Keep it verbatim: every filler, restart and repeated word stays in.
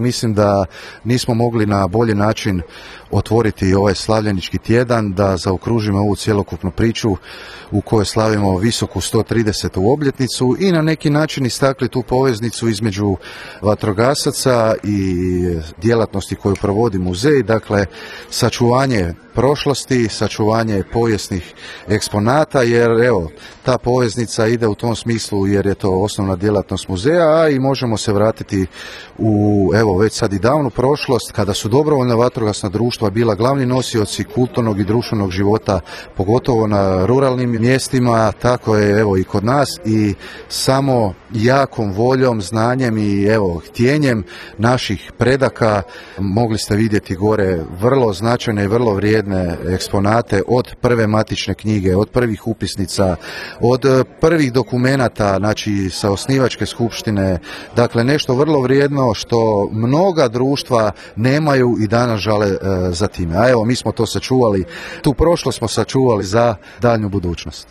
Mislim da nismo mogli na bolji način otvoriti ovaj slavljenički tjedan, da zaokružimo ovu cjelokupnu priču u kojoj slavimo visoku sto tridesetu obljetnicu i na neki način istakli tu poveznicu između vatrogasaca i djelatnosti koju provodi muzej, dakle sačuvanje prošlosti, sačuvanje povijesnih eksponata, jer evo, ta poveznica ide u tom smislu jer je to osnovna djelatnost muzeja, a i možemo se vratiti u, evo, već sad i davnu prošlost, kada su dobrovoljna vatrogasna društva bila glavni nosioci kulturnog i društvenog života, pogotovo na ruralnim mjestima, tako je evo i kod nas, i samo jakom voljom, znanjem i evo htjenjem naših predaka mogli ste vidjeti gore vrlo značajne i vrlo vrijedne eksponate, od prve matične knjige, od prvih upisnica, od prvih dokumenata, znači sa osnivačke skupštine, dakle nešto vrlo vrijedno što mnoga društva nemaju i danas žale e, za time. A evo, mi smo to sačuvali, tu prošlost smo sačuvali za daljnju budućnost.